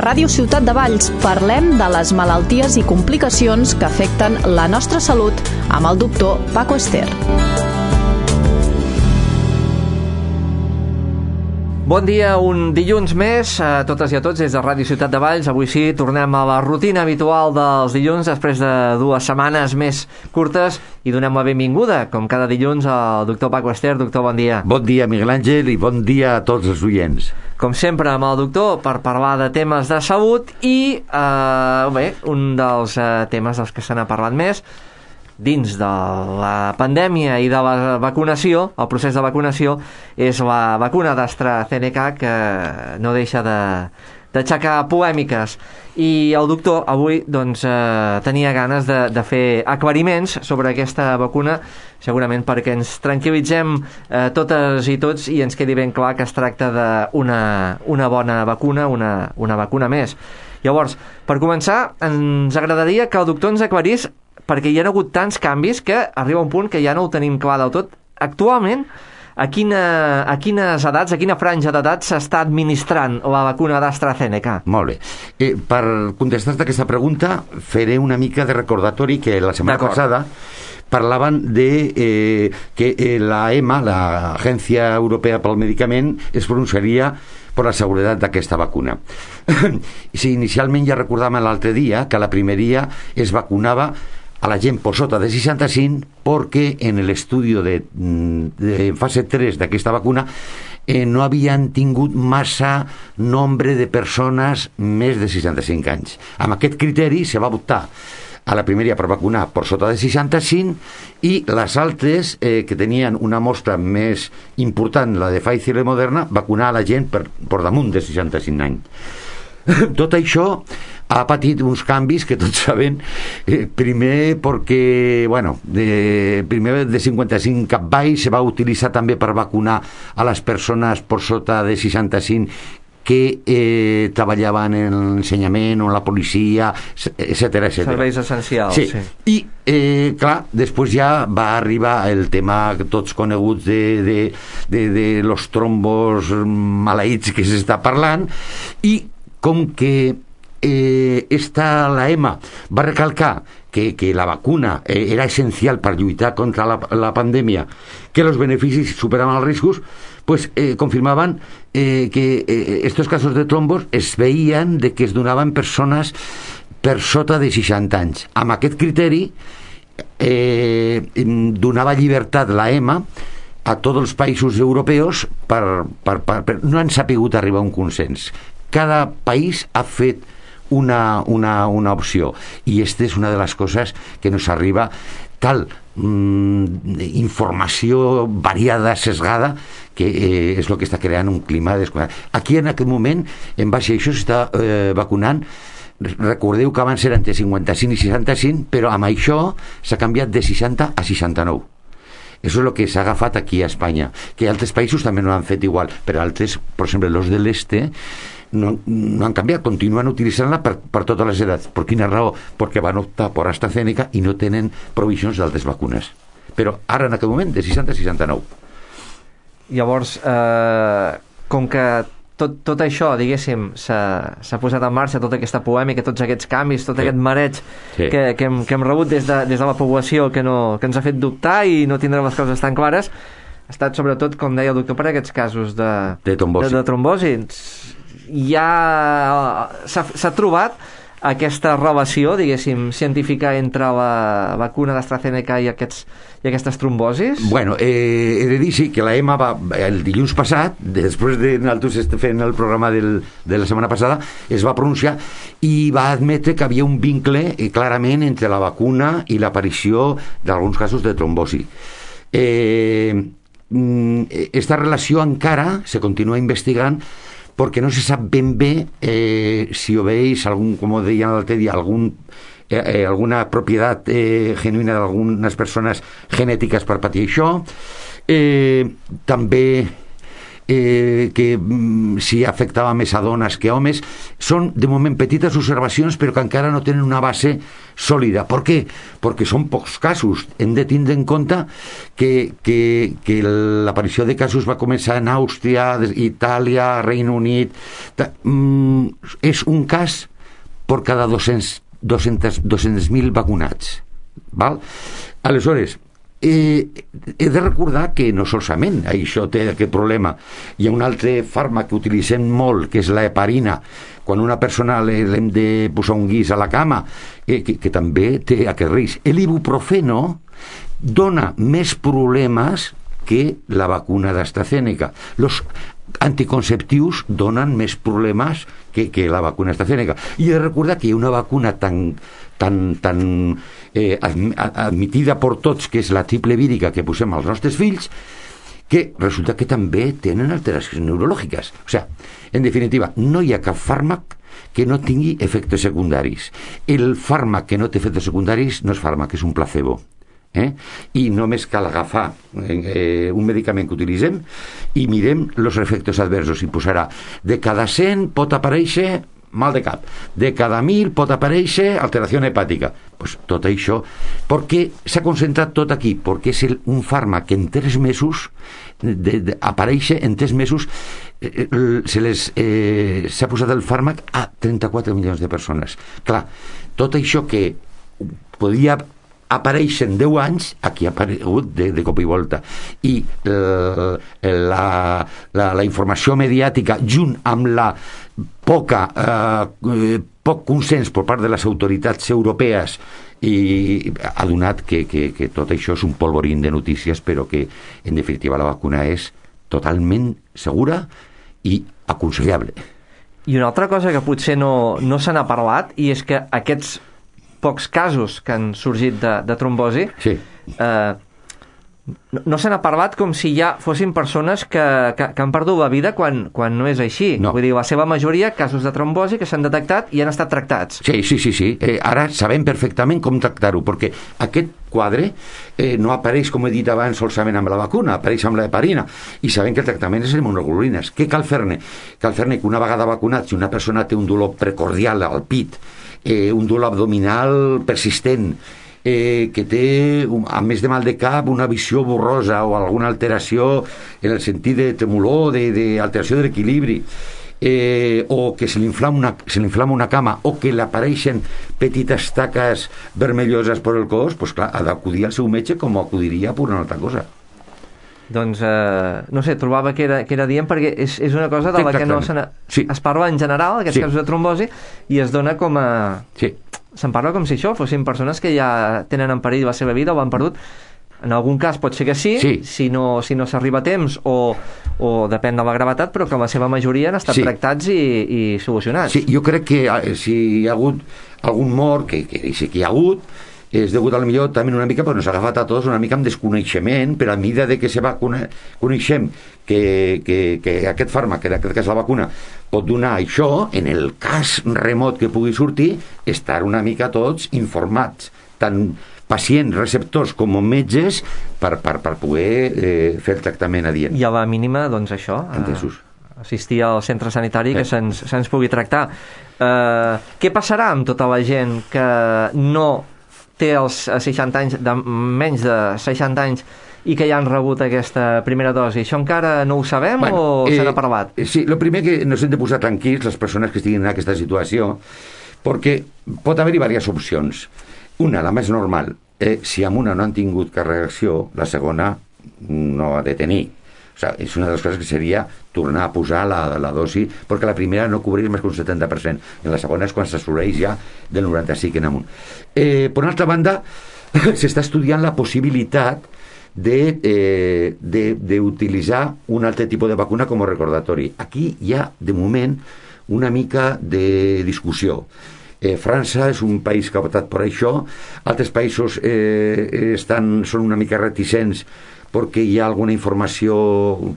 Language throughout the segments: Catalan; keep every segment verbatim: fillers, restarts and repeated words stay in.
Ràdio Ciutat de Valls parlem de les malalties i complicacions que afecten la nostra salut amb el doctor Paco Ester. Bon dia, un dilluns més a totes i a tots des de Ràdio Ciutat de Valls. Avui sí, tornem a la rutina habitual dels dilluns després de dues setmanes més curtes i donem la benvinguda, com cada dilluns, al doctor Paco Ester. Doctor, bon dia. Bon dia, Miguel Àngel, i bon dia a tots els oients. Com sempre, amb el doctor per parlar de temes de salut i, eh, bé, un dels eh, temes dels que se n'ha parlat més dins de la pandèmia i de la vacunació, el procés de vacunació, és la vacuna d'AstraZeneca, que no deixa de d'aixecar polèmiques. I el doctor avui doncs, eh, tenia ganes de, de fer aclariments sobre aquesta vacuna, segurament perquè ens tranquil·litzem eh, totes i tots i ens quedi ben clar que es tracta d'una una bona vacuna, una, una vacuna més. Llavors, per començar, ens agradaria que el doctor ens aclarís, perquè hi ha hagut tants canvis que arriba un punt que ja no ho tenim clar del tot. Actualment, a, quina, a quines edats, a quina franja d'edat s'està administrant la vacuna d'AstraZeneca? Molt bé. Eh, per contestar-te aquesta pregunta, faré una mica de recordatori que la setmana passada parlaven de eh, que eh, la E M A, l'Agència Europea pel Medicament, es pronunciaria per la seguretat d'aquesta vacuna. Si inicialment ja recordàvem l'altre dia que la primeria es vacunava a la gent por sota de seixanta-cinc perquè en l'estudi de, de fase tres d'aquesta vacuna eh, no havien tingut massa nombre de persones més de seixanta-cinc anys. Amb aquest criteri se va optar a la primera per vacunar per sota de seixanta-cinc i les altres, eh, que tenien una mostra més important, la de Pfizer i Moderna, vacunar a la gent per, per damunt de seixanta-cinc anys. Tot això ha patit uns canvis que tots sabem, eh, primer perquè, bueno, de, primer de cinquanta-cinc cap baix se va utilitzar també per vacunar a les persones per sota de seixanta-cinc que eh, treballaven en l'ensenyament o en la policia, etcètera, etcètera. Serveis essencials. Sí, sí. I, eh, clar, després ja va arribar el tema tots coneguts de, de, de, de los trombos maleïts que s'està parlant, i com que eh, esta, la E M A va recalcar que, que la vacuna eh, era essencial per lluitar contra la, la pandèmia, que els beneficis superaven els riscos, pues eh, confirmaven eh, que eh, estos casos de trombos es veien de que es donaven persones per sota de seixanta anys. Amb aquest criteri eh, donava llibertat la E M A a tots els països europeus per, per, per, per no han sapigut arribar a un consens. Cada país ha fet una, una, una opció i aquesta és una de les coses que nos arriba tal mm, informació variada, sesgada, que eh, és el que està creant un clima desconegut. Aquí en aquest moment, en base a això, s'està eh, vacunant. Recordeu que abans eren entre cinquanta-cinc i seixanta-cinc, però amb això s'ha canviat de seixanta a seixanta-nou. Això és el que s'ha agafat aquí a Espanya, que altres països també no han fet igual, però altres, per exemple, els de l'este no, no han canviat, continuen utilitzant-la per, per totes les edats. Per quina raó? Perquè van optar per AstraZeneca i no tenen provisions d'altres vacunes. Però ara, en aquest moment, de seixanta a seixanta-nou. Llavors, eh, com que tot, tot això, diguéssim, s'ha, s'ha posat en marxa, tota aquesta polèmica, tots aquests canvis, tot sí. aquest mareig sí. que, que, hem, que hem rebut des de, des de la població que, no, que ens ha fet dubtar i no tindre les coses tan clares, ha estat sobretot, com deia el doctor, per aquests casos de, de trombosi. De, de trombosi. Ja s'ha, s'ha trobat aquesta relació, diguéssim, científica entre la vacuna d'AstraZeneca i, aquests, i aquestes trombosis? Bueno, eh, he de dir sí, que la E M A va, el dilluns passat, després de nosaltres fent el programa del, de la setmana passada, es va pronunciar i va admetre que havia un vincle eh, clarament entre la vacuna i l'aparició d'alguns casos de trombosi. Eh, esta relació encara se continua investigant perquè no se sap ben bé eh, si obeeix algun, com deien l'altre dia, algun, eh, eh, alguna propietat eh, genuïna d'algunes persones genètiques per patir això. Eh, també eh, que mm, si afectava més a dones que a homes. Són, de moment, petites observacions, però que encara no tenen una base sòlida. Per què? Perquè són pocs casos. Hem de tindre en compte que, que, que l'aparició de casos va començar en Àustria, Itàlia, Regne Unit, Ta, mm, és un cas per cada dos-cents mil vacunats. Val? Aleshores, eh, he de recordar que no solament això té aquest problema. Hi ha un altre fàrmac que utilitzem molt, que és la heparina, quan una persona l'hem de posar un guix a la cama, eh, que, que també té aquest risc. L'ibuprofeno dona més problemes que la vacuna d'AstraZeneca. Els anticonceptius donen més problemes que, que la vacuna AstraZeneca. I he de recordar que hi ha una vacuna tan, tan, tan eh, admitida per tots, que és la triple vírica que posem als nostres fills, que resulta que també tenen alteracions neurològiques. O sigui, en definitiva, no hi ha cap fàrmac que no tingui efectes secundaris. El fàrmac que no té efectes secundaris no és fàrmac, és un placebo. Eh? I només cal agafar eh, un medicament que utilitzem i mirem els efectes adversos i posarà de cada cent pot aparèixer mal de cap, de cada mil pot aparèixer alteració hepàtica. Pues tot això, perquè s'ha concentrat tot aquí, perquè és el, un fàrmac que en tres mesos de, de, apareix en tres mesos eh, se les eh, s'ha posat el fàrmac a trenta-quatre milions de persones. Clar, tot això que podia apareix en deu anys, aquí ha aparegut de, de cop i volta. I eh, la, la, la informació mediàtica, junt amb la poca, eh, poc consens per part de les autoritats europees, i ha donat que, que, que tot això és un polvorín de notícies, però que, en definitiva, la vacuna és totalment segura i aconsellable. I una altra cosa que potser no, no se n'ha parlat, i és que aquests pocs casos que han sorgit de, de trombosi, sí. eh, no, no se n'ha parlat com si ja fossin persones que, que, que han perdut la vida quan, quan no és així. No. Vull dir, la seva majoria, casos de trombosi que s'han detectat i han estat tractats. Sí, sí, sí, sí. Eh, ara sabem perfectament com tractar-ho, perquè aquest quadre eh, no apareix, com he dit abans, solament amb la vacuna, apareix amb la heparina, i sabem que el tractament és immunoglobulines. Què cal fer-ne? Cal fer-ne que una vegada vacunat, si una persona té un dolor precordial al pit, eh, un dolor abdominal persistent, eh, que té, un, a més de mal de cap, una visió borrosa o alguna alteració en el sentit de tremolor, d'alteració de, de l'equilibri, eh, o que se li inflama una, se li inflama una cama, o que li apareixen petites taques vermelloses per el cos, doncs clar, ha d'acudir al seu metge com acudiria per una altra cosa. Doncs, eh, no sé, trobava que era, que era dient, perquè és, és una cosa de la que no se sí. es parla en general, aquests sí. casos de trombosi, i es dona com a... Sí. Se'n parla com si això fossin persones que ja tenen en perill la seva vida o han perdut. En algun cas pot ser que sí, sí. si no, si no s'arriba a temps o, o depèn de la gravetat, però que la seva majoria han estat sí. tractats i, i solucionats. Sí, jo crec que si hi ha hagut algun mort, que, que sí que hi ha hagut, és degut a millor també una mica, però ens ha agafat a tots una mica amb desconeixement, però a mesura de que se va cone coneixem que, que, que aquest fàrmac, que en aquest cas la vacuna, pot donar això, en el cas remot que pugui sortir, estar una mica tots informats, tant pacients, receptors com metges, per, per, per poder eh, fer el tractament adient. I a la mínima, doncs això, Entesos. assistir al centre sanitari que se'ns se pugui tractar. Eh, què passarà amb tota la gent que no té els seixanta anys, de, menys de seixanta anys, i que ja han rebut aquesta primera dosi? Això encara no ho sabem bueno, o eh, se n'ha parlat? Sí, el primer que nos hem de posar tranquils les persones que estiguin en aquesta situació, perquè pot haver-hi diverses opcions. Una, la més normal, eh, si amb una no han tingut cap reacció, la segona no ha de tenir. O sigui, és una de les coses que seria tornar a posar la, la dosi, perquè la primera no cobreix més que un setanta per cent, i la segona és quan s'assoleix ja del noranta-cinc en amunt. Eh, per una altra banda, s'està estudiant la possibilitat d'utilitzar eh, un altre tipus de vacuna com a recordatori. Aquí hi ha, de moment, una mica de discussió. Eh, França és un país que ha optat per això, altres països eh, estan, són una mica reticents perquè hi ha alguna informació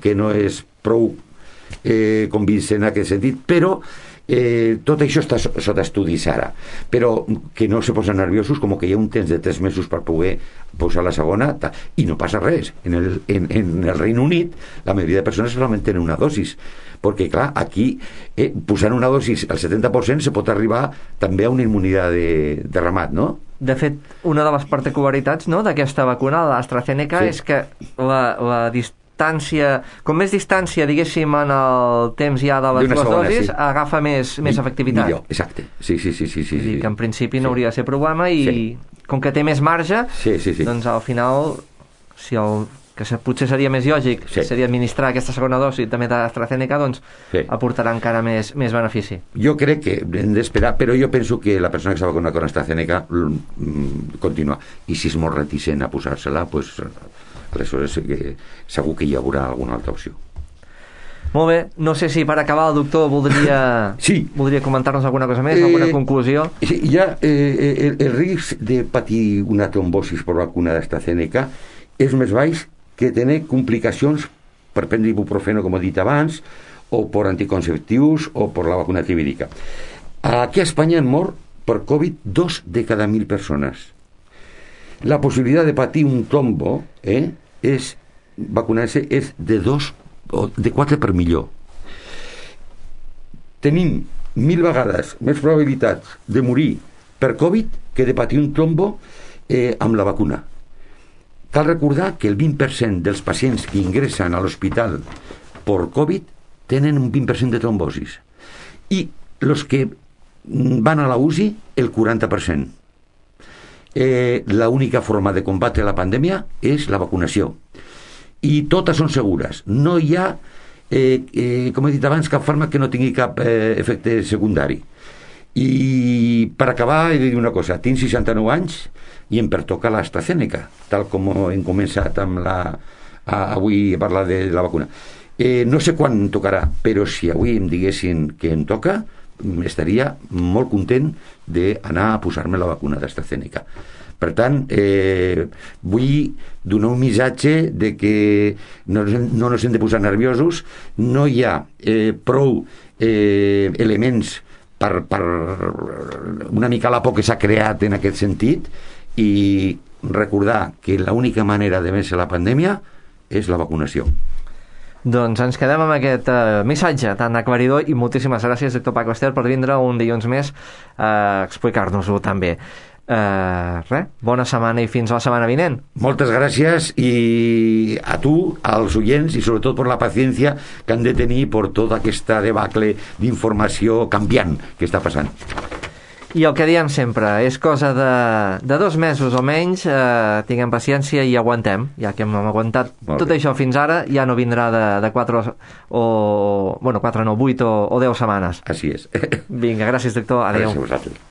que no és prou eh, convincent en aquest sentit, però eh, tot això està sota estudis ara, però que no se posen nerviosos, com que hi ha un temps de tres mesos per poder posar la segona, i no passa res. En el, en, en el Regne Unit la majoria de persones solament tenen una dosis, perquè clar, aquí eh, posant una dosis al setanta per cent se pot arribar també a una immunitat de, de ramat, no? De fet, una de les particularitats, no, d'aquesta vacuna, l'AstraZeneca, sí. és que la, la dis distància, com més distància, diguéssim, en el temps ja de les D'una dues segona, dosis, sí. agafa més, més efectivitat. Millor, exacte. Sí, sí, sí, sí, sí, Vull dir sí. que en principi no Sí. hauria de ser problema i Sí. com que té més marge, Sí, sí, sí. doncs al final, si el que se- potser seria més lògic, Sí. seria administrar aquesta segona dosi també d'AstraZeneca, doncs Sí. aportarà encara més, més benefici. Jo crec que hem d'esperar, però jo penso que la persona que s'ha vacunat con AstraZeneca mm, continua. I si és molt reticent a posar-se-la, pues, aleshores sí que segur que hi haurà alguna altra opció. Molt bé, no sé si per acabar el doctor voldria, Sí. voldria comentar-nos alguna cosa més, Eh, alguna conclusió. Sí, ja eh, el, el risc de patir una trombosis per vacuna d'AstraZeneca és més baix que tenir complicacions per prendre ibuprofeno, com he dit abans, o per anticonceptius o per la vacuna trivírica. Aquí a Espanya han mort per Covid dos de cada mil persones. La possibilitat de patir un trombo eh, és vacunar-se és de dos o de quatre per millor. Tenim mil vegades més probabilitats de morir per Covid que de patir un trombo eh, amb la vacuna. Cal recordar que el vint per cent dels pacients que ingressen a l'hospital per Covid tenen un vint per cent de trombosis i els que van a la U C I el quaranta per cent. Eh, la única forma de combatre la pandèmia és la vacunació i totes són segures. No hi ha eh, eh, com he dit abans, cap fàrmac que no tingui cap eh, efecte secundari. I per acabar he de dir una cosa, tinc seixanta-nou anys i em pertoca l'AstraZeneca, tal com hem començat amb la, a, avui a parlar de la vacuna. Eh, no sé quan em tocarà, però si avui em diguessin que em toca, estaria molt content d'anar a posar-me la vacuna d'AstraZeneca. Per tant, eh, vull donar un missatge de que no, no ens hem de posar nerviosos, no hi ha eh, prou eh, elements per, per una mica la por que s'ha creat en aquest sentit, i recordar que l'única manera de vèncer la pandèmia és la vacunació. Doncs ens quedem amb aquest uh, missatge tan aclaridor i moltíssimes gràcies, doctor Paco Ester, per vindre un dilluns més a explicar-nos-ho també. Uh, res, bona setmana i fins la setmana vinent. Moltes gràcies i a tu, als oients, i sobretot per la paciència que han de tenir per tota aquesta debacle d'informació canviant que està passant. I el que diem sempre, és cosa de, de dos mesos o menys, eh, tinguem paciència i aguantem, ja que hem aguantat Molt tot bé. això fins ara, ja no vindrà de, de quatre o, bueno, quatre no, vuit o, o deu setmanes. Així és. Vinga, gràcies doctor, adéu. Gràcies a vosaltres.